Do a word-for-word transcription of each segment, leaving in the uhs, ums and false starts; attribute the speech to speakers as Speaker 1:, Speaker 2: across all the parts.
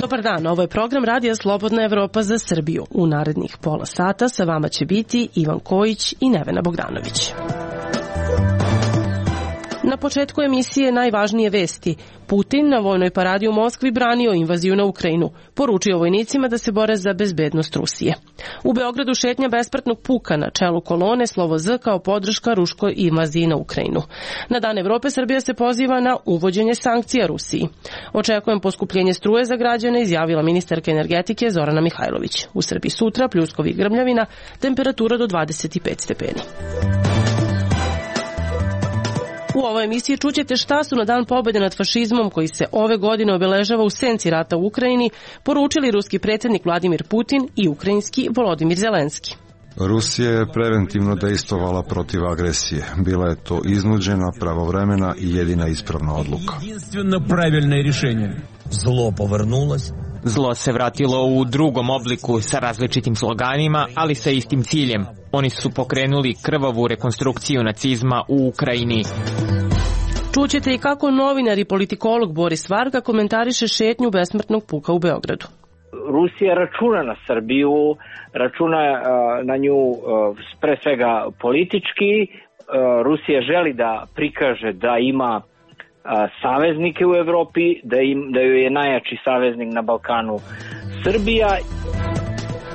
Speaker 1: Dobar dan, ovo je program Radija Slobodna Evropa za Srbiju. U narednih pola sata sa vama će biti Ivan Kojić i Nevena Bogdanović. Na početku emisije najvažnije vesti. Putin na vojnoj paradi u Moskvi branio invaziju na Ukrajinu. Poručio vojnicima da se bore za bezbednost Rusije. U Beogradu šetnja besmrtnog puka na čelu kolone slovo Z kao podrška ruskoj invaziji na Ukrajinu. Na Dan Evrope Srbija se poziva na uvođenje sankcija Rusiji. Očekujem poskupljenje struje za građane, izjavila ministarka energetike Zorana Mihajlović. U Srbiji sutra pljuskovi i grmljavina, temperatura do dvadeset pet stepeni. U ovoj emisiji čućete šta su na Dan pobjede nad fašizmom, koji se ove godine obeležava u senci rata u Ukrajini, poručili ruski predsjednik Vladimir Putin i ukrajinski Volodimir Zelenski.
Speaker 2: Rusija je preventivno dejstvovala protiv agresije. Bila je to iznuđena, pravovremena i jedina ispravna odluka.
Speaker 3: Zlo povrnulost.
Speaker 4: Zlo se vratilo u drugom obliku sa različitim sloganima, ali sa istim ciljem. Oni su pokrenuli krvavu rekonstrukciju nacizma u Ukrajini.
Speaker 1: Čućete i kako novinar i politikolog Boris Varga komentariše šetnju besmrtnog puka u Beogradu.
Speaker 5: Rusija računa na Srbiju, računa na nju pre svega politički. Rusija želi da prikaže da ima saveznike u Evropi, da, im, da joj je najjači saveznik na Balkanu Srbija.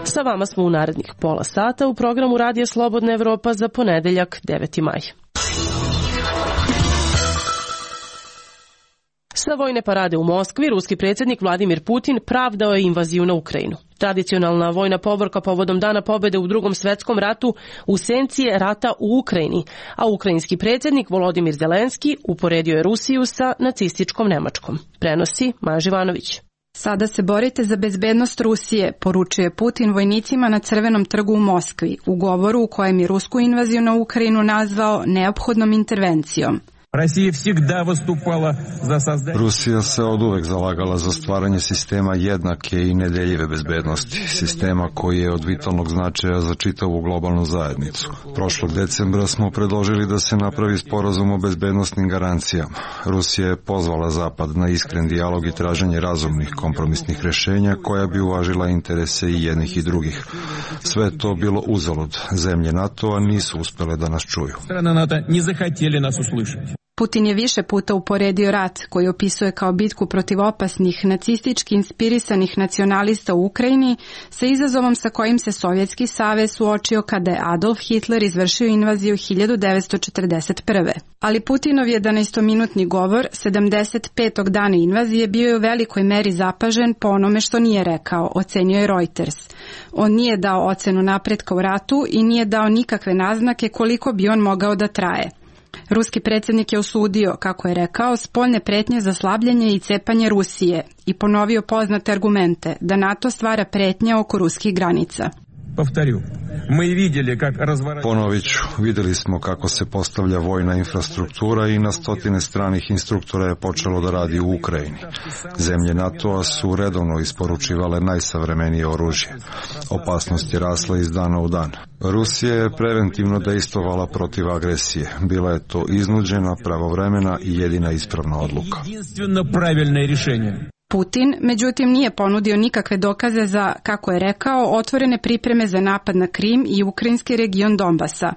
Speaker 1: Sa vama smo u narednih pola sata u programu Radija Slobodna Evropa za ponedeljak deveti maj. Sa vojne parade u Moskvi, ruski predsjednik Vladimir Putin pravdao je invaziju na Ukrajinu. Tradicionalna vojna povorka povodom Dana pobjede u Drugom svjetskom ratu u senci je rata u Ukrajini, a ukrajinski predsjednik Volodimir Zelenski uporedio je Rusiju sa nacističkom Nemačkom. Prenosi Maja Živanović.
Speaker 6: Sada se borite za bezbednost Rusije, poručuje Putin vojnicima na Crvenom trgu u Moskvi, u govoru u kojem je rusku invaziju na Ukrajinu nazvao neophodnom intervencijom.
Speaker 2: Rusija se oduvek zalagala za stvaranje sistema jednake i nedeljive bezbednosti, sistema koji je od vitalnog značaja za čitavu globalnu zajednicu. Prošlog decembra smo predložili da se napravi sporazum o bezbednosnim garancijama. Rusija je pozvala Zapad na iskren dijalog i traženje razumnih kompromisnih rešenja koja bi uvažila interese i jednih i drugih. Sve je to bilo uzalud. Zemlje NATO-a nisu uspele da nas čuju.
Speaker 6: Putin je više puta uporedio rat, koji opisuje kao bitku protiv opasnih, nacistički inspirisanih nacionalista u Ukrajini, sa izazovom sa kojim se Sovjetski savez suočio kada je Adolf Hitler izvršio invaziju hiljadu devetsto četrdeset prve. Ali Putinov jedanaestominutni govor sedamdeset petog dana invazije bio je u velikoj meri zapažen po onome što nije rekao, ocenio je Reuters. On nije dao ocenu napretka u ratu i nije dao nikakve naznake koliko bi on mogao da traje. Ruski predsjednik je osudio, kako je rekao, spoljne pretnje za slabljenje i cepanje Rusije i ponovio poznate argumente da NATO stvara pretnje oko ruskih granica.
Speaker 2: Ponovit ću, vidjeli smo kako se postavlja vojna infrastruktura i na stotine stranih instruktora je počelo da radi u Ukrajini. Zemlje NATO-a su redovno isporučivale najsavremenije oružje. Opasnost je rasla iz dana u dan. Rusija je preventivno dejstvovala protiv agresije. Bila je to iznuđena, pravovremena i jedina ispravna odluka.
Speaker 6: Putin, međutim, nije ponudio nikakve dokaze za, kako je rekao, otvorene pripreme za napad na Krim i ukrajinski region Donbasa.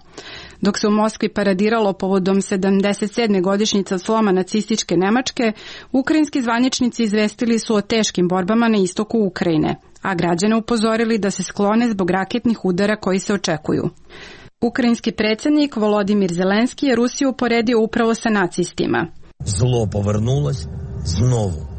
Speaker 6: Dok se u Moskvi paradiralo povodom sedamdeset sedme godišnjice od sloma nacističke Nemačke, ukrajinski zvaničnici izvestili su o teškim borbama na istoku Ukrajine, a građane upozorili da se sklone zbog raketnih udara koji se očekuju. Ukrajinski predsjednik Volodimir Zelenski je Rusiju uporedio upravo sa nacistima.
Speaker 3: Zlo povrnulost znovu.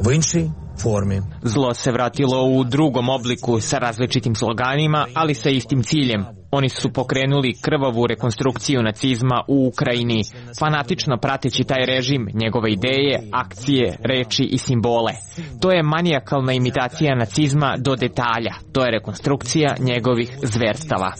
Speaker 3: V inšoj formi.
Speaker 4: Zlo se vratilo u drugom obliku sa različitim sloganima, ali sa istim ciljem. Oni su pokrenuli krvavu rekonstrukciju nacizma u Ukrajini, fanatično prateći taj režim, njegove ideje, akcije, reči i simbole. To je manijakalna imitacija nacizma do detalja. To je rekonstrukcija njegovih zverstava.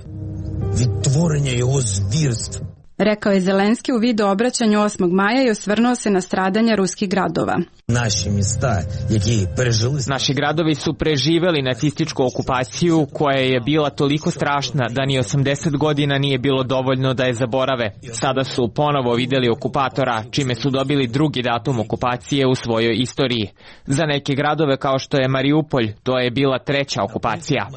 Speaker 3: Відтворення його звірств.
Speaker 6: rekao je Zelenski u video obraćanju osmog maja i osvrnuo se na stradanja ruskih gradova.
Speaker 3: Naši mjesta, які пережили...
Speaker 4: Naši gradovi su preživeli nacističku okupaciju koja je bila toliko strašna da ni osamdeset godina nije bilo dovoljno da je zaborave. Sada su ponovo videli okupatora, čime su dobili drugi datum okupacije u svojoj istoriji. Za neke gradove kao što je Mariupolj, to je bila treća okupacija.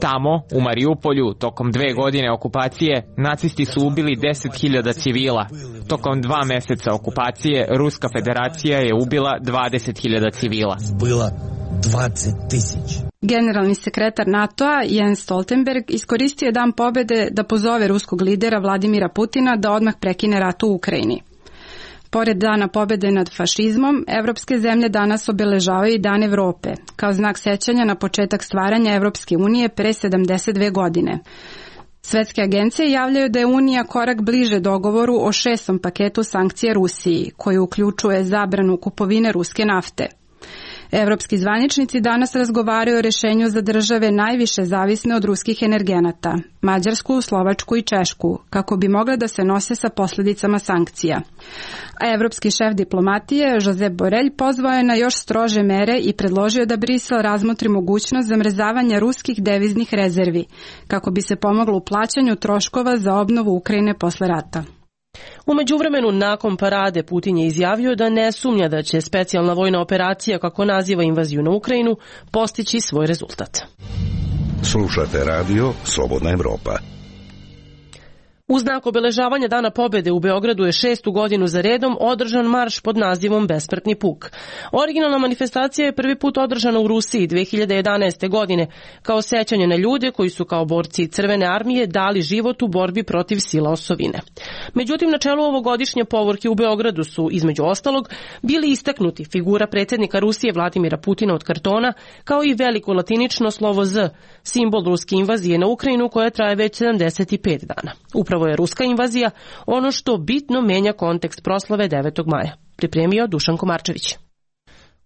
Speaker 4: Tamo, u Mariupolju, tokom dve godine okupacije, nacisti su ubili deset hiljada civila. Tokom dva meseca okupacije, Ruska federacija je ubila dvadeset hiljada civila.
Speaker 3: Bilo dvadeset tisuća.
Speaker 6: Generalni sekretar NATO-a Jens Stoltenberg iskoristio je Dan pobede da pozove ruskog lidera Vladimira Putina da odmah prekine rat u Ukrajini. Pored Dana pobede nad fašizmom, evropske zemlje danas obeležavaju i Dan Evrope, kao znak sećanja na početak stvaranja Evropske unije pre sedamdeset dve godine. Svetske agencije javljaju da je Unija korak bliže dogovoru o šestom paketu sankcija Rusiji, koji uključuje zabranu kupovine ruske nafte. Evropski zvaničnici danas razgovaraju o rešenju za države najviše zavisne od ruskih energenata, Mađarsku, Slovačku i Češku, kako bi mogle da se nose sa posljedicama sankcija. A evropski šef diplomatije, Josep Borrell, pozvao je na još strože mere i predložio da Brisel razmotri mogućnost zamrzavanja ruskih deviznih rezervi, kako bi se pomoglo u plaćanju troškova za obnovu Ukrajine posle rata.
Speaker 1: U međuvremenu, nakon parade, Putin je izjavio da ne sumnja da će specijalna vojna operacija, kako naziva invaziju na Ukrajinu, postići svoj rezultat.
Speaker 7: Slušate radio Slobodna Evropa.
Speaker 1: U znak obeležavanja Dana pobede u Beogradu je šestu godinu za redom održan marš pod nazivom Besmrtni puk. Originalna manifestacija je prvi put održana u Rusiji dve hiljade jedanaeste. godine kao sećanje na ljude koji su kao borci Crvene armije dali život u borbi protiv sila osovine. Međutim, na čelu ovogodišnje povorke u Beogradu su, između ostalog, bili istaknuti figura predsjednika Rusije Vladimira Putina od kartona, kao i veliko latinično slovo Z, simbol ruske invazije na Ukrajinu koja traje već sedamdeset pet dana. Upravo je ruska invazija ono što bitno menja kontekst proslave devetog maja. Pripremio Dušan Komarčević.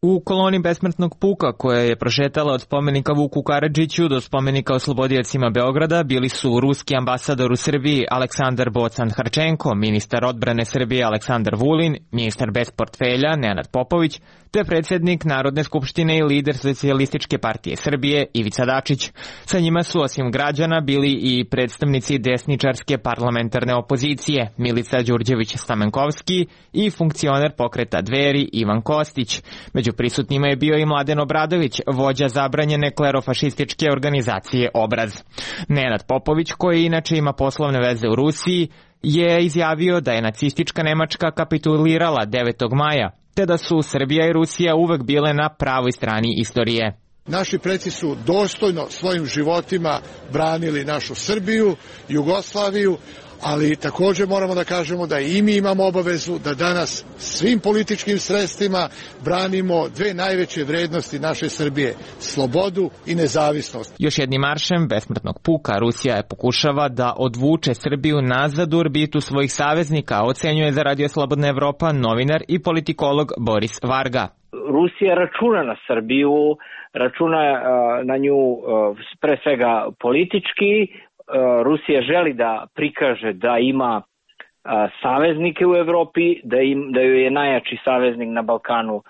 Speaker 4: U koloni besmrtnog puka koja je prošetala od spomenika Vuku Karadžiću do spomenika oslobodiocima Beograda bili su ruski ambasador u Srbiji Aleksandar Bocan-Harčenko, ministar odbrane Srbije Aleksandar Vulin, ministar bez portfelja Nenad Popović, te predsjednik Narodne skupštine i lider Socijalističke partije Srbije Ivica Dačić. Sa njima su osim građana bili i predstavnici desničarske parlamentarne opozicije Milica Đurđević-Stamenkovski i funkcioner pokreta Dveri Ivan Kostić. Među prisutnima je bio i Mladen Obradović, vođa zabranjene klerofašističke organizacije Obraz. Nenad Popović, koji inače ima poslovne veze u Rusiji, je izjavio da je nacistička Nemačka kapitulirala devetog maja, te da su Srbija i Rusija uvek bile na pravoj strani istorije.
Speaker 8: Naši preci su dostojno svojim životima branili našu Srbiju, Jugoslaviju, ali također moramo da kažemo da i mi imamo obavezu da danas svim političkim sredstvima branimo dve najveće vrednosti naše Srbije, slobodu i nezavisnost.
Speaker 4: Još jednim maršem besmrtnog puka Rusija je pokušava da odvuče Srbiju nazad u orbitu svojih saveznika, ocenjuje za Radio Slobodna Evropa novinar i politikolog Boris Varga.
Speaker 5: Rusija računa na Srbiju, računa na nju pre svega politički. Rusija želi da prikaže da ima saveznike u Evropi, da, im, da joj je najjači saveznik na Balkanu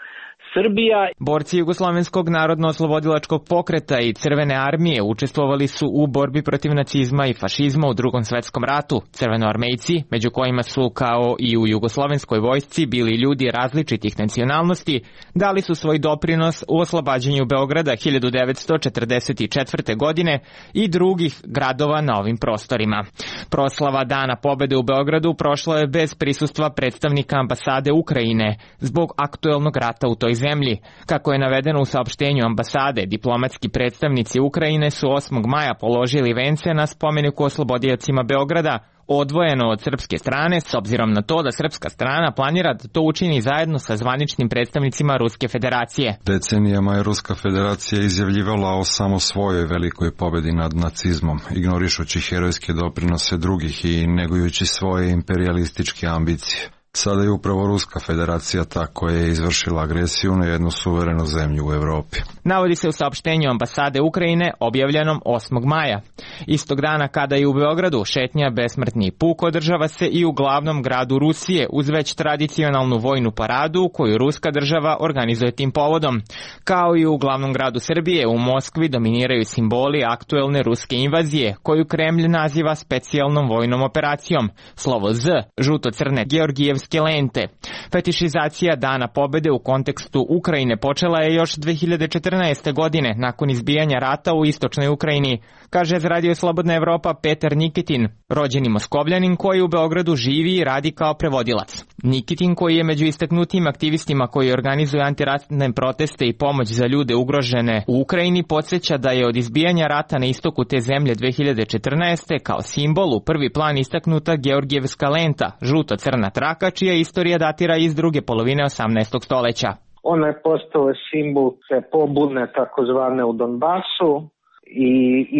Speaker 5: Srbija.
Speaker 4: Borci Jugoslovenskog narodno-oslobodilačkog pokreta i Crvene armije učestvovali su u borbi protiv nacizma i fašizma u Drugom svetskom ratu. Crvenoarmejci, među kojima su kao i u jugoslovenskoj vojsci bili ljudi različitih nacionalnosti, dali su svoj doprinos u oslobađanju Beograda hiljadu devetsto četrdeset četvrte. godine i drugih gradova na ovim prostorima. Proslava Dana pobede u Beogradu prošla je bez prisustva predstavnika ambasade Ukrajine zbog aktuelnog rata u toj zemlji. Kako je navedeno u saopštenju ambasade, diplomatski predstavnici Ukrajine su osmog maja položili vence na spomeniku oslobodiocima Beograda, odvojeno od srpske strane, s obzirom na to da srpska strana planira da to učini zajedno sa zvaničnim predstavnicima Ruske federacije.
Speaker 2: Decenijama je Ruska federacija izjavljivala o samo svojoj velikoj pobedi nad nacizmom, ignorišući herojske doprinose drugih i negujući svoje imperijalističke ambicije. Sada je upravo Ruska federacija ta koja je izvršila agresiju na jednu suverenu zemlju u Evropi.
Speaker 4: Navodi se u saopštenju ambasade Ukrajine objavljenom osmog maja. Istog dana kada je u Beogradu šetnja Besmrtni puk održava se i u glavnom gradu Rusije uz već tradicionalnu vojnu paradu koju ruska država organizuje tim povodom. Kao i u glavnom gradu Srbije, u Moskvi dominiraju simboli aktuelne ruske invazije koju Kremlj naziva specijalnom vojnom operacijom. Slovo Z, žuto-crne georgijevske lente. Fetišizacija Dana pobede u kontekstu Ukrajine počela je još dve hiljade četrnaeste. godine nakon izbijanja rata u istočnoj Ukrajini, kaže za Radio Slobodna Evropa Petar Nikitin, rođeni Moskovljanin koji u Beogradu živi i radi kao prevodilac. Nikitin, koji je među istaknutim aktivistima koji organizuju antiratne proteste i pomoć za ljude ugrožene u Ukrajini, podsjeća da je od izbijanja rata na istoku te zemlje dve hiljade četrnaeste. kao simbol u prvi plan istaknuta Georgijevska lenta, žuto-crna traka, čija istorija datira iz druge polovine osamnaestog stoleća.
Speaker 9: Ona je postala simbol te pobune takozvane u Donbasu i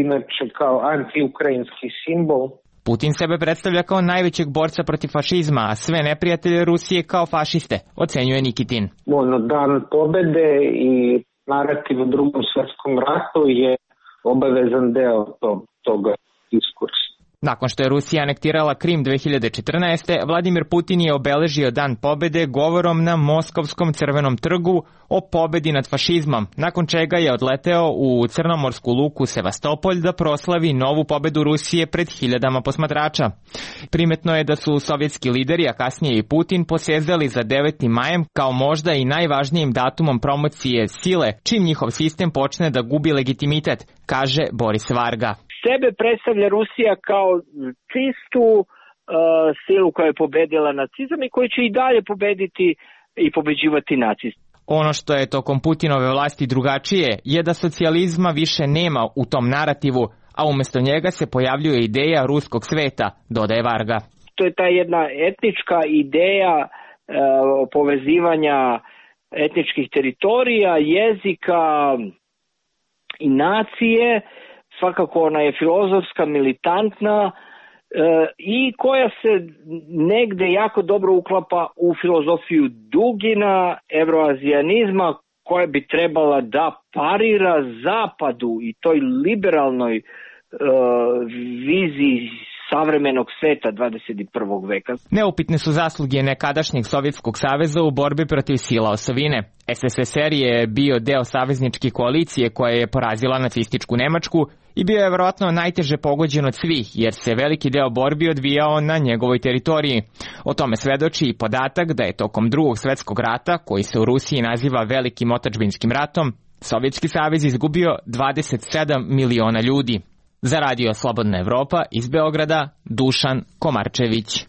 Speaker 9: inače kao antiukrajinski simbol.
Speaker 4: Putin sebe predstavlja kao najvećeg borca protiv fašizma, a sve neprijatelje Rusije kao fašiste, ocenjuje Nikitin.
Speaker 9: Ono, dan pobede i narativ u drugom svjetskom ratu je obavezan deo tog, toga diskursa.
Speaker 4: Nakon što je Rusija anektirala Krim dve hiljade četrnaeste. Vladimir Putin je obeležio Dan pobede govorom na Moskovskom crvenom trgu o pobedi nad fašizmom, nakon čega je odleteo u crnomorsku luku Sevastopolj da proslavi novu pobedu Rusije pred hiljadama posmatrača. Primetno je da su sovjetski lideri, a kasnije i Putin, posezali za devetim majem kao možda i najvažnijim datumom promocije sile, čim njihov sistem počne da gubi legitimitet, kaže Boris Varga.
Speaker 5: Sebe predstavlja Rusija kao čistu uh, silu koja je pobedila nacizam i koja će i dalje pobediti i pobeđivati nacizam.
Speaker 4: Ono što je tokom Putinove vlasti drugačije je da socijalizma više nema u tom narativu, a umjesto njega se pojavljuje ideja ruskog sveta, dodaje Varga.
Speaker 5: To je ta jedna etnička ideja uh, povezivanja etničkih teritorija, jezika i nacije. Svakako ona je filozofska, militantna e, i koja se negde jako dobro uklapa u filozofiju Dugina, evroazijanizma, koja bi trebala da parira zapadu i toj liberalnoj e, viziji savremenog sveta dvadeset prvog veka.
Speaker 4: Neupitne su zasluge nekadašnjeg Sovjetskog saveza u borbi protiv sila osovine. S S S R je bio deo savezničke koalicije koja je porazila nacističku Nemačku i bio je vjerojatno najteže pogođen od svih, jer se veliki deo borbi odvijao na njegovoj teritoriji. O tome svedoči i podatak da je tokom drugog svjetskog rata, koji se u Rusiji naziva Velikim otadžbinskim ratom, Sovjetski savez izgubio dvadeset sedam miliona ljudi. Za Radio Slobodna Evropa iz Beograda, Dušan Komarčević.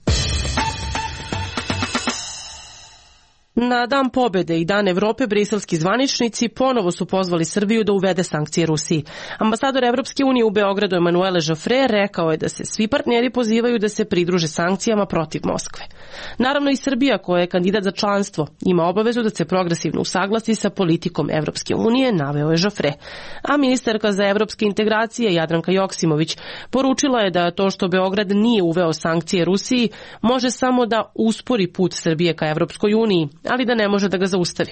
Speaker 1: Na Dan pobede i Dan Evrope briselski zvaničnici ponovo su pozvali Srbiju da uvede sankcije Rusiji. Ambasador Evropske unije u Beogradu Emanuele Joffre rekao je da se svi partneri pozivaju da se pridruže sankcijama protiv Moskve. Naravno i Srbija, koja je kandidat za članstvo, ima obavezu da se progresivno usaglasi sa politikom Evropske unije, naveo je Joffre. A ministarka za evropske integracije Jadranka Joksimović poručila je da to što Beograd nije uveo sankcije Rusiji može samo da uspori put Srbije ka Evropskoj uniji, ali da ne može da ga zaustavi.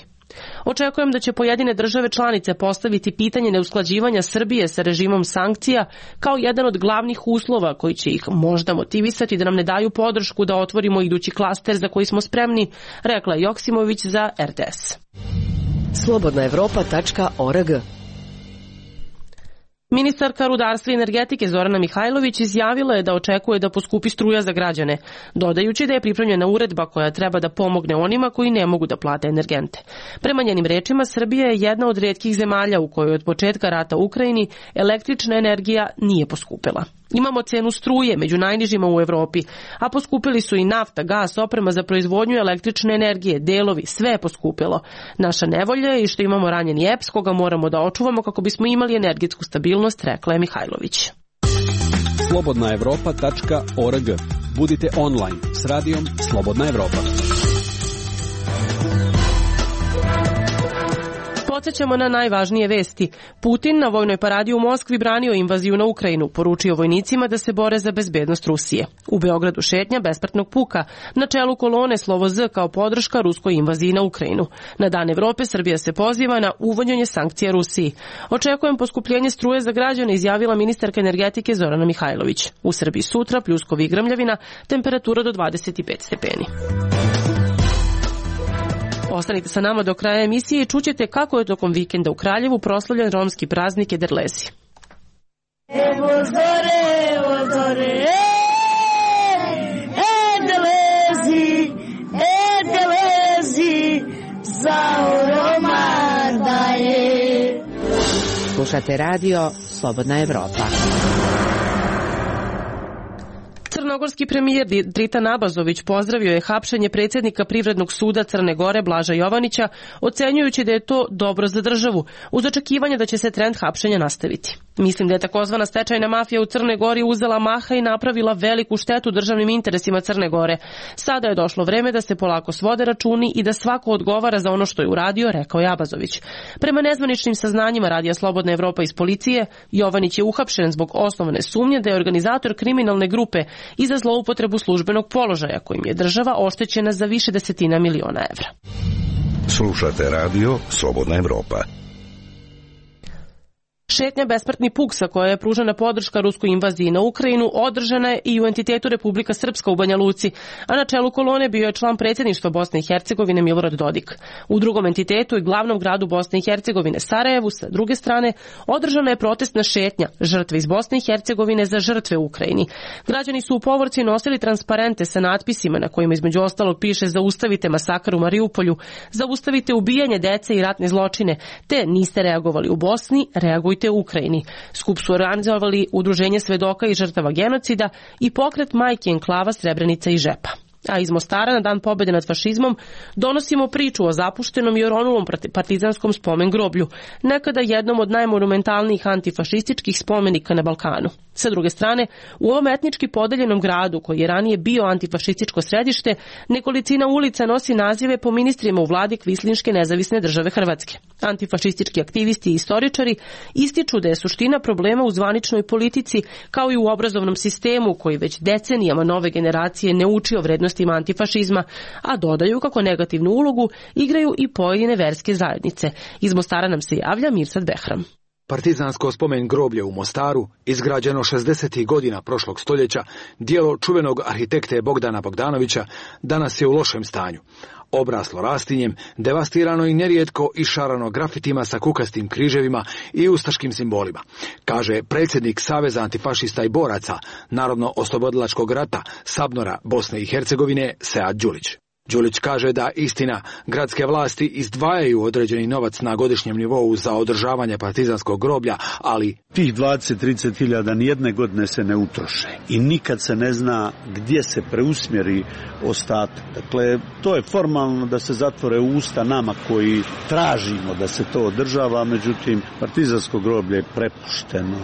Speaker 1: Očekujem da će pojedine države članice postaviti pitanje neusklađivanja Srbije sa režimom sankcija kao jedan od glavnih uslova koji će ih možda motivisati da nam ne daju podršku da otvorimo idući klaster za koji smo spremni, rekla je Joksimović za R T S.
Speaker 10: slobodna evropa tačka org.
Speaker 1: Ministarka rudarstva i energetike Zorana Mihajlović izjavila je da očekuje da poskupi struja za građane, dodajući da je pripremljena uredba koja treba da pomogne onima koji ne mogu da plate energente. Prema njenim rečima, Srbija je jedna od rijetkih zemalja u kojoj od početka rata u Ukrajini električna energija nije poskupila. Imamo cenu struje među najnižima u Evropi, a poskupili su i nafta, gas, oprema za proizvodnju električne energije, delovi, sve je poskupilo. Naša nevolja je i što imamo ranjeni E P S koga moramo da očuvamo kako bismo imali energetsku stabilnost, rekla je Mihajlović.
Speaker 11: slobodna evropa tačka org. Budite online s radijom Slobodna Evropa.
Speaker 1: Podsećamo na najvažnije vesti. Putin na vojnoj paradi u Moskvi branio invaziju na Ukrajinu, poručio vojnicima da se bore za bezbednost Rusije. U Beogradu šetnja bespratnog puka, na čelu kolone slovo Z kao podrška ruskoj invaziji na Ukrajinu. Na Dan Evrope Srbija se poziva na uvođenje sankcija Rusiji. Očekujem poskupljenje struje za građane, izjavila ministarka energetike Zorana Mihajlović. U Srbiji sutra pljuskovi i grmljavina, temperatura do dvadeset pet stepeni. Ostanite sa nama do kraja emisije i čućete kako je tokom vikenda u Kraljevu proslavljen romski praznik Ederlezi.
Speaker 12: Evo zore, evo zore, Ederlezi, Ederlezi, za Roma daje.
Speaker 10: Slušate radio Slobodna Evropa.
Speaker 1: Crnogorski premijer Dritan Abazović pozdravio je hapšenje predsjednika Privrednog suda Crne Gore Blaža Jovanića, ocenjujući da je to dobro za državu, uz očekivanje da će se trend hapšenja nastaviti. Mislim da je takozvana stečajna mafija u Crnoj Gori uzela maha i napravila veliku štetu državnim interesima Crne Gore. Sada je došlo vreme da se polako svode računi i da svako odgovara za ono što je uradio, rekao je Abazović. Prema nezvaničnim saznanjima Radija Slobodna Evropa iz policije, Jovanić je uhapšen zbog osnovane sumnje da je organizator kriminalne grupe i za zloupotrebu službenog položaja kojim je država oštećena za više desetina miliona evra.
Speaker 7: Slušate radio Slobodna Evropa.
Speaker 1: Šetnja Besmrtni puk sa koja je pružena podrška ruskoj invaziji na Ukrajinu održana je i u entitetu Republika Srpska u Banja Luci, a na čelu kolone bio je član predsjedništva Bosne i Hercegovine Milorad Dodik. U drugom entitetu i glavnom gradu Bosne i Hercegovine Sarajevu, sa druge strane, održana je protestna šetnja žrtve iz Bosne i Hercegovine za žrtve u Ukrajini. Građani su u povorci nosili transparente sa natpisima na kojima između ostalog piše zaustavite masakr u Mariupolju, zaustavite ubijanje dece i ratne zločine, te niste reagovali u Bosni, reagujte u Ukrajini. Skup su organizovali Udruženje svedoka i žrtava genocida i pokret Majke enklava Srebrenica i Žepa. A iz Mostara na Dan pobjede nad fašizmom donosimo priču o zapuštenom i oronulom partizanskom spomen groblju, nekada jednom od najmonumentalnijih antifašističkih spomenika na Balkanu. Sa druge strane, u ovom etnički podeljenom gradu, koji je ranije bio antifašističko središte, nekolicina ulica nosi nazive po ministrima u vladi Kvislinške nezavisne države Hrvatske. Antifašistički aktivisti i istoričari ističu da je suština problema u zvaničnoj politici, kao i u obrazovnom sistemu koji već decenijama nove generacije ne uči o vrednostima antifašizma, a dodaju kako negativnu ulogu igraju i pojedine verske zajednice. Iz Mostara nam se javlja Mirsad Behram.
Speaker 13: Partizansko spomen groblje u Mostaru, izgrađeno šezdesetih godina prošlog stoljeća, dijelo čuvenog arhitekte Bogdana Bogdanovića, danas je u lošem stanju. Obraslo rastinjem, devastirano i nerijetko išarano grafitima sa kukastim križevima i ustaškim simbolima, kaže predsjednik Saveza antifašista i boraca Narodno-oslobodilačkog rata Sabnora Bosne i Hercegovine Sead Đulić. Đulić kaže da istina, gradske vlasti izdvajaju određeni novac na godišnjem nivou za održavanje partizanskog groblja, ali
Speaker 14: tih dvadeset do trideset hiljada nijedne godine se ne utroše i nikad se ne zna gdje se preusmjeri ostatak. Dakle, to je formalno da se zatvore usta nama koji tražimo da se to održava, međutim, partizansko groblje je prepušteno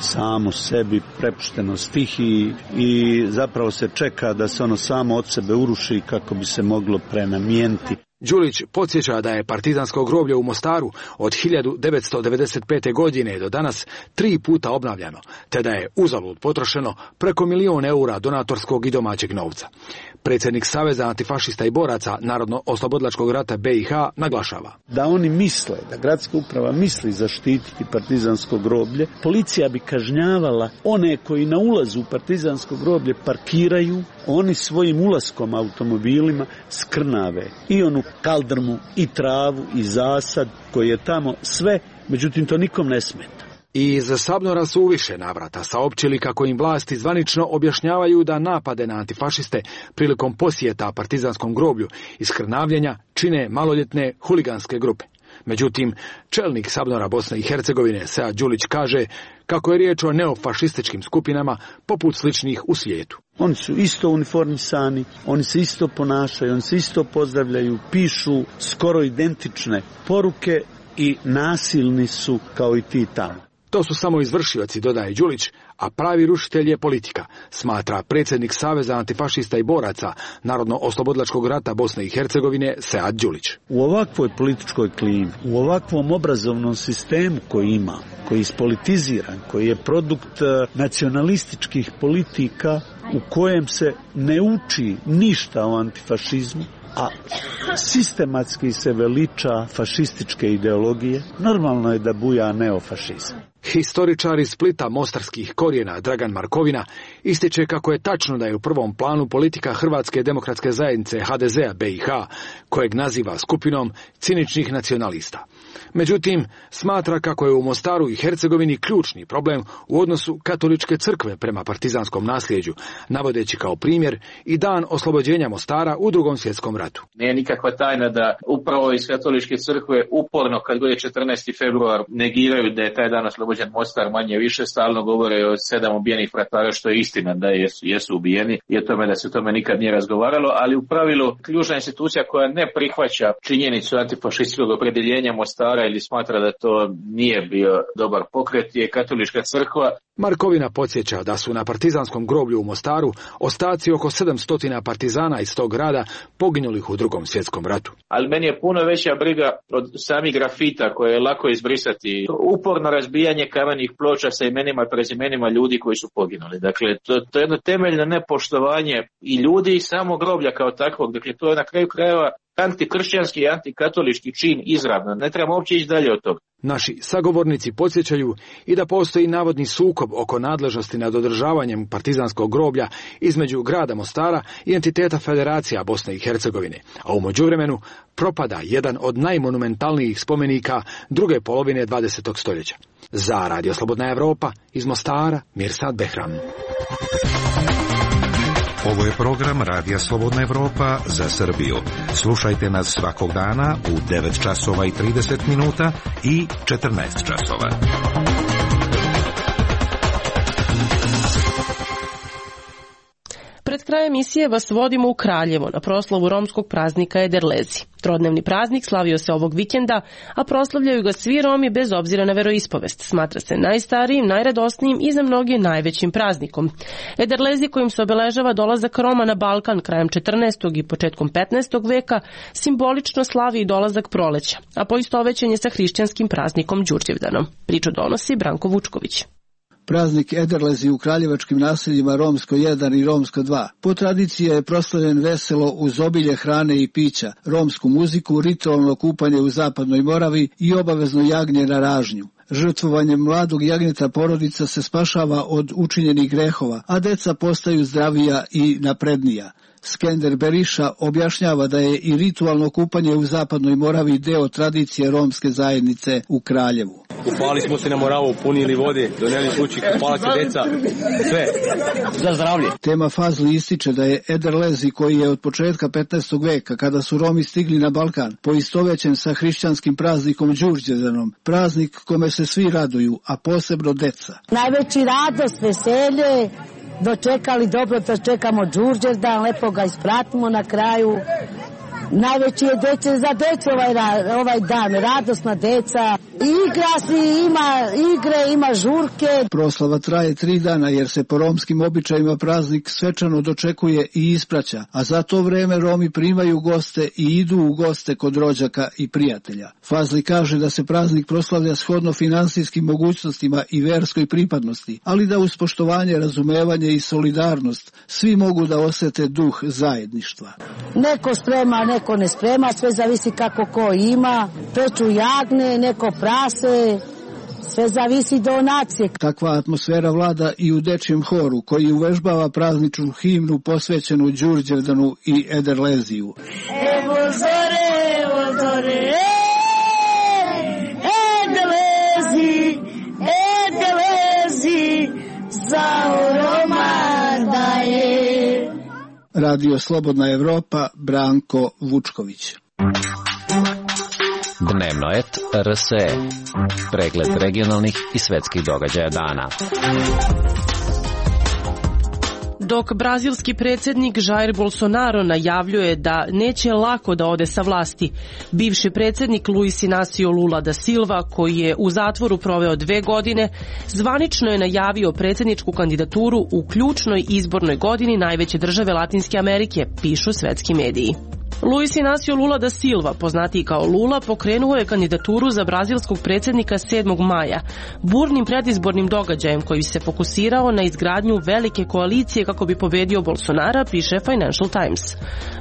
Speaker 14: samo sebi, prepušteno stihiji i zapravo se čeka da se ono samo od sebe uruši kako bi se moglo prenamijeniti.
Speaker 13: Đulić podsjeća da je partizansko groblje u Mostaru od hiljadu devetsto devedeset pete. godine do danas tri puta obnavljano, te da je uzalud potrošeno preko milion eura donatorskog i domaćeg novca. Predsjednik Saveza antifašista i boraca Narodno-oslobodilačkog rata B i H naglašava
Speaker 14: da oni misle, da gradska uprava misli zaštititi partizansko groblje, policija bi kažnjavala one koji na ulazu u partizansko groblje parkiraju, oni svojim ulaskom automobilima skrnave i onu kaldrmu i travu i zasad koji je tamo sve, međutim to nikom ne smeta.
Speaker 13: I iz Sabnora su u više navrata saopćili kako im vlasti zvanično objašnjavaju da napade na antifašiste prilikom posjeta partizanskom groblju i skrnavljenja čine maloljetne huliganske grupe. Međutim, čelnik Sabnora Bosne i Hercegovine Sead Đulić kaže kako je riječ o neofašističkim skupinama poput sličnih u svijetu.
Speaker 14: Oni su isto uniformisani, oni se isto ponašaju, oni se isto pozdravljaju, pišu skoro identične poruke i nasilni su kao i ti tamo.
Speaker 13: To su samo izvršioci, dodaje Đulić, a pravi rušitelj je politika, smatra predsjednik Saveza antifašista i boraca Narodno-oslobodilačkog rata Bosne i Hercegovine Sead Đulić.
Speaker 14: U ovakvoj političkoj klimi, u ovakvom obrazovnom sistemu koji ima, koji je ispolitiziran, koji je produkt nacionalističkih politika u kojem se ne uči ništa o antifašizmu, a sistematski se veliča fašističke ideologije, normalno je da buja neofašizam.
Speaker 13: Historičar iz Splita mostarskih korijena Dragan Markovina ističe kako je tačno da je u prvom planu politika Hrvatske demokratske zajednice H D Z-a B i H, kojeg naziva skupinom ciničnih nacionalista. Međutim, smatra kako je u Mostaru i Hercegovini ključni problem u odnosu katoličke crkve prema partizanskom nasljeđu, navodeći kao primjer i dan oslobođenja Mostara u Drugom svjetskom ratu.
Speaker 15: Nije nikakva tajna da upravo iz katoličke crkve uporno kad god je četrnaesti februar negiraju da je taj dan oslobođen Mostar, manje više stalno govore o sedam ubijenih fratara, što je istina da jesu, jesu ubijeni i o tome da se o tome nikad nije razgovaralo, ali u pravilu ključna institucija koja ne prihvaća činjenicu antifašističkog opredjeljenja Mostara ili smatra da to nije bio dobar pokret je katolička crkva.
Speaker 13: Markovina podsjeća da su na partizanskom groblju u Mostaru ostaci oko sedamsto partizana iz tog grada poginulih u Drugom svjetskom ratu.
Speaker 15: Ali meni je puno veća briga od samih grafita koje je lako izbrisati. Uporno razbijanje kamenih ploča sa imenima i prezimenima ljudi koji su poginuli. Dakle, to, to je jedno temeljno nepoštovanje i ljudi i samog groblja kao takvog. Dakle, to je na kraju krajeva antikršćanski i antikatolički čin izravno. Ne trebamo uopće ići dalje od toga.
Speaker 13: Naši sagovornici podsjećaju i da postoji navodni sukob oko nadležnosti nad održavanjem partizanskog groblja između grada Mostara i entiteta Federacija Bosne i Hercegovine, a u međuvremenu propada jedan od najmonumentalnijih spomenika druge polovine dvadesetog stoljeća. Za Radio Slobodna Evropa iz Mostara, Mirsad Behram.
Speaker 7: Ovo je program Radija Slobodna Evropa za Srbiju. Slušajte nas svakog dana u devet časova i trideset minuta i četrnaest časova.
Speaker 1: Pred kraj emisije vas vodimo u Kraljevo na proslavu romskog praznika Ederlezi. Trodnevni praznik slavio se ovog vikenda, a proslavljaju ga svi Romi bez obzira na veroispovest. Smatra se najstarijim, najradosnijim i za mnoge najvećim praznikom. Ederlezi, kojim se obeležava dolazak Roma na Balkan krajem četrnaestog i početkom petnaestog veka, simbolično slavi i dolazak proleća, a poistovećen je sa hrišćanskim praznikom Đurđevdanom. Priču donosi Branko Vučković.
Speaker 16: Praznik Ederlezi u kraljevačkim naseljima Romsko jedan i Romsko dva. Po tradiciji je proslavljen veselo uz obilje hrane i pića, romsku muziku, ritualno kupanje u Zapadnoj Moravi i obavezno jagnje na ražnju. Žrtvovanjem mladog jagnjeta porodica se spašava od učinjenih grehova, a deca postaju zdravija i naprednija. Skender Beriša objašnjava da je i ritualno kupanje u Zapadnoj Moravi deo tradicije romske zajednice u Kraljevu.
Speaker 17: Kupali smo se na Moravu, punili vode, doneli kući, kupala se deca, sve za zdravlje.
Speaker 16: Tema Fazli ističe da je Ederlezi, koji je od početka petnaestog veka, kada su Romi stigli na Balkan, poistovećen sa hrišćanskim praznikom Đurđevdanom, praznik kome se svi raduju, a posebno deca.
Speaker 18: Najveći radost, veselje, dočekali dobro, dočekamo Đurđevdan, lepo ga ispratimo na kraju. Najveći je deče za decu ovaj, ovaj dan, radosna deca. Igra se, ima igre, ima žurke.
Speaker 16: Proslava traje tri dana jer se po romskim običajima praznik svečano dočekuje i ispraća, a za to vreme Romi primaju goste i idu u goste kod rođaka i prijatelja. Fazli kaže da se praznik proslavlja shodno finansijskim mogućnostima i verskoj pripadnosti, ali da uz poštovanje, razumevanje i solidarnost svi mogu da osete duh zajedništva.
Speaker 18: Neko sprema, neko ne sprema, sve zavisi kako ko ima, peču jagne, neko prase, sve zavisi donacije.
Speaker 16: Takva atmosfera vlada i u dečijem horu, koji uvežbava prazničnu himnu posvećenu Đurđevdanu i Ederleziju.
Speaker 12: Evo zore, evo zore, Ederlezi, Ederlezi, za Roma daje.
Speaker 16: Radio Slobodna Evropa, Branko Vučković.
Speaker 19: Dnevno et R S E. Pregled regionalnih i svetskih događaja dana.
Speaker 1: Dok brazilski predsjednik Jair Bolsonaro najavljuje da neće lako da ode sa vlasti, bivši predsjednik Luis Inácio Lula da Silva, koji je u zatvoru proveo dve godine, zvanično je najavio predsjedničku kandidaturu u ključnoj izbornoj godini najveće države Latinske Amerike, pišu svetski mediji. Luis Inácio Lula da Silva, poznatiji kao Lula, pokrenuo je kandidaturu za brazilskog predsjednika sedmog maja, burnim predizbornim događajem koji se fokusirao na izgradnju velike koalicije kako bi pobedio Bolsonara, piše Financial Times.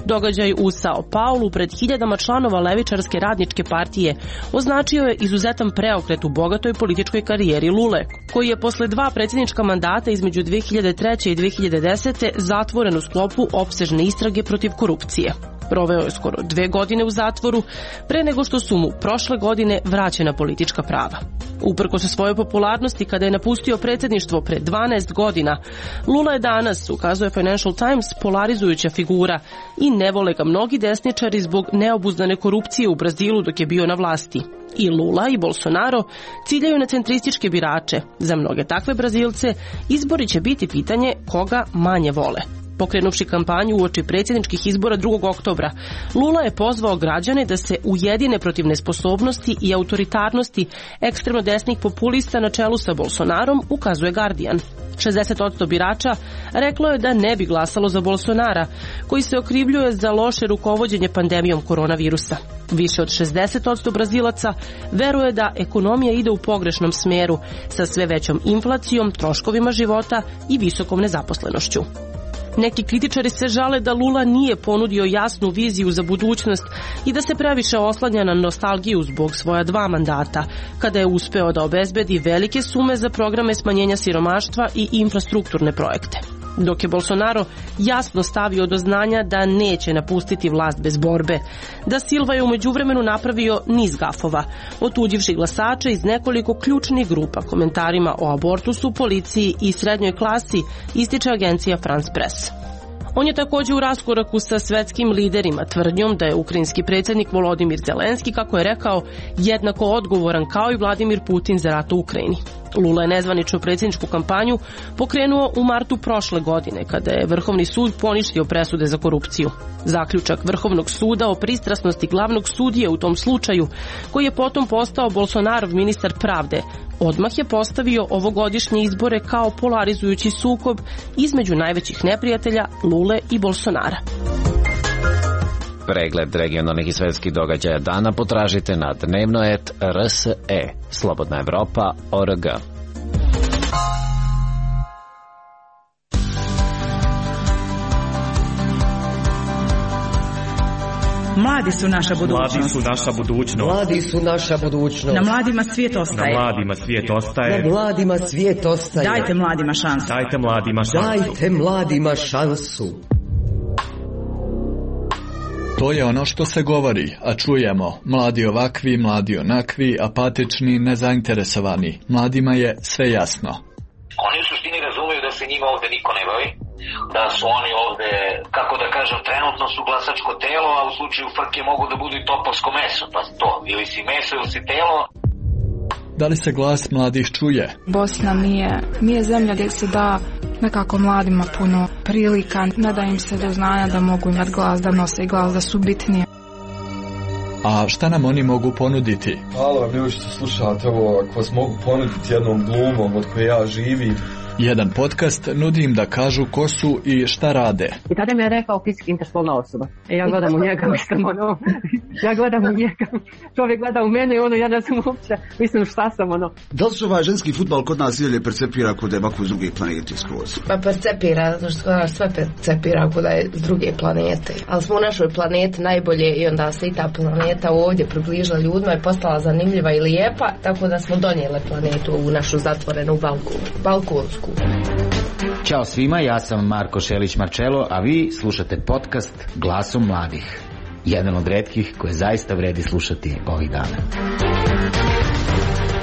Speaker 1: Događaj u Sao Paulu pred hiljadama članova levičarske radničke partije označio je izuzetan preokret u bogatoj političkoj karijeri Lule, koji je posle dva predsjednička mandata između dve hiljade treće i dve hiljade desete zatvoren u sklopu opsežne istrage protiv korupcije. Proveo je skoro dve godine u zatvoru pre nego što su mu prošle godine vraćena politička prava. Uprkos svojoj popularnosti kada je napustio predsjedništvo pre dvanaest godina, Lula je danas, ukazuje Financial Times, polarizujuća figura i ne vole ga mnogi desničari zbog neobuzdane korupcije u Brazilu dok je bio na vlasti. I Lula i Bolsonaro ciljaju na centrističke birače. Za mnoge takve Brazilce izbori će biti pitanje koga manje vole. Pokrenuvši kampanju uoči predsjedničkih izbora drugog oktobra, Lula je pozvao građane da se ujedine protiv nesposobnosti i autoritarnosti ekstremno desnih populista na čelu sa Bolsonarom, ukazuje Guardian. šezdeset posto birača reklo je da ne bi glasalo za Bolsonara, koji se okrivljuje za loše rukovođenje pandemijom koronavirusa. Više od šezdeset posto Brazilaca veruje da ekonomija ide u pogrešnom smeru, sa sve većom inflacijom, troškovima života i visokom nezaposlenošću. Neki kritičari se žale da Lula nije ponudio jasnu viziju za budućnost i da se previše oslanja na nostalgiju zbog svoja dva mandata, kada je uspeo da obezbedi velike sume za programe smanjenja siromaštva i infrastrukturne projekte. Dok je Bolsonaro jasno stavio do znanja da neće napustiti vlast bez borbe, da Silva je u međuvremenu napravio niz gafova, otuđivši glasače iz nekoliko ključnih grupa komentarima o abortusu, policiji i srednjoj klasi, ističe agencija France Press. On je također u raskoraku sa svetskim liderima tvrdnjom da je ukrajinski predsjednik Volodimir Zelenski, kako je rekao, jednako odgovoran kao i Vladimir Putin za rat u Ukrajini. Lula je nezvaničnu predsjedničku kampanju pokrenuo u martu prošle godine, kada je Vrhovni sud poništio presude za korupciju. Zaključak Vrhovnog suda o pristrasnosti glavnog sudije u tom slučaju, koji je potom postao Bolsonarov ministar pravde, odmah je postavio ovogodišnje izbore kao polarizujući sukob između najvećih neprijatelja Lule i Bolsonara.
Speaker 19: Pregled regionalnih i svetskih događaja dana potražite na dnevno et er es e, Slobodna Evropa točka org.
Speaker 20: Mladi su naša budućnost.
Speaker 21: Mladi su naša budućnost.
Speaker 22: Mladi su naša budućnost.
Speaker 20: Na mladima svijet ostaje.
Speaker 21: Na mladima svijet ostaje.
Speaker 22: Na mladima svijet ostaje.
Speaker 20: Dajte mladima šansu.
Speaker 21: Dajte mladima šansu.
Speaker 22: Dajte mladima šansu.
Speaker 23: To je ono što se govori, a čujemo. Mladi ovakvi, mladi onakvi, apatični, nezainteresovani. Mladima je sve jasno.
Speaker 24: Oni u suštini razumiju da se njima ovde niko ne bavi, da su oni ovde, kako da kažem, trenutno su glasačko telo, a u slučaju frke mogu da budu i topovsko meso, pa to, ili si meso ili si telo.
Speaker 23: Da li se glas mladih čuje?
Speaker 25: Bosna nije, nije zemlja gdje se da nekako mladima puno prilika, ne da im se do znanja da mogu imati glas, da nose glas, da su bitnije.
Speaker 23: A šta nam oni mogu ponuditi?
Speaker 26: Halo, ljudi što slušate ovo, ako vas mogu ponuditi jednom glumom od koje ja živim.
Speaker 23: Jedan podcast nudi im da kažu ko su i šta rade.
Speaker 27: I tada mi je rekao fizički interspolna osoba. E ja gledam u njega, mislim, ono, ja gledam u njega, čovjek gleda u mene i ono, ja ne znam uopće, mislim šta sam, ono.
Speaker 28: Da li se ovaj ženski futbal kod nas ili percepira kod je ovako s druge planete skroz?
Speaker 29: Pa percepira, zato što kod nas sve percepira kod je s druge planete. Ali smo u našoj planeti najbolje i onda se i ta planeta ovdje približila ljudima i postala zanimljiva i lijepa, tako da smo donijele planetu u našu zatvorenu balku, balkonsku.
Speaker 30: Ćao svima, ja sam Marko Šelić-Marčelo, a vi slušate podcast Glasom mladih. Jedan od retkih koje zaista vredi slušati ovih dana.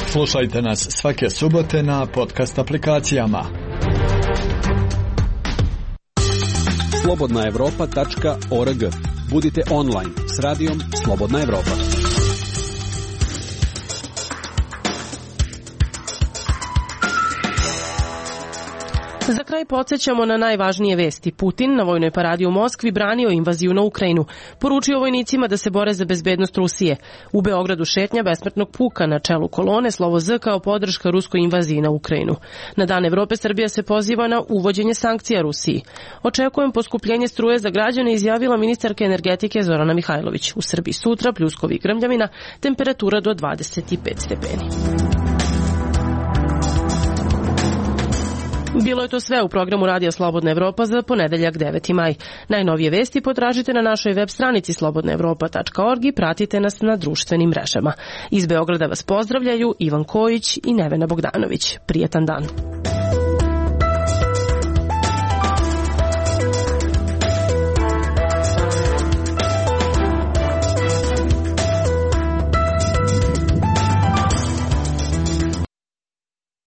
Speaker 23: Slušajte nas svake subote na podcast aplikacijama.
Speaker 11: slobodna evropa tačka org. Budite online s radijom Slobodna Evropa.
Speaker 1: Za kraj podsjećamo na najvažnije vesti. Putin na vojnoj paradi u Moskvi branio invaziju na Ukrajinu. Poručio vojnicima da se bore za bezbednost Rusije. U Beogradu šetnja besmrtnog puka na čelu kolone, slovo Z kao podrška ruskoj invaziji na Ukrajinu. Na Dan Evrope Srbija se poziva na uvođenje sankcija Rusiji. Očekujem poskupljenje struje za građane, izjavila ministarka energetike Zorana Mihajlović. U Srbiji sutra pljuskovi i grmljavina, temperatura do dvadeset pet stepeni. Bilo je to sve u programu Radija Slobodna Evropa za ponedeljak deveti maj. Najnovije vesti potražite na našoj web stranici slobodna evropa tačka org i pratite nas na društvenim mrežama. Iz Beograda vas pozdravljaju Ivan Kojić i Nevena Bogdanović. Prijetan dan.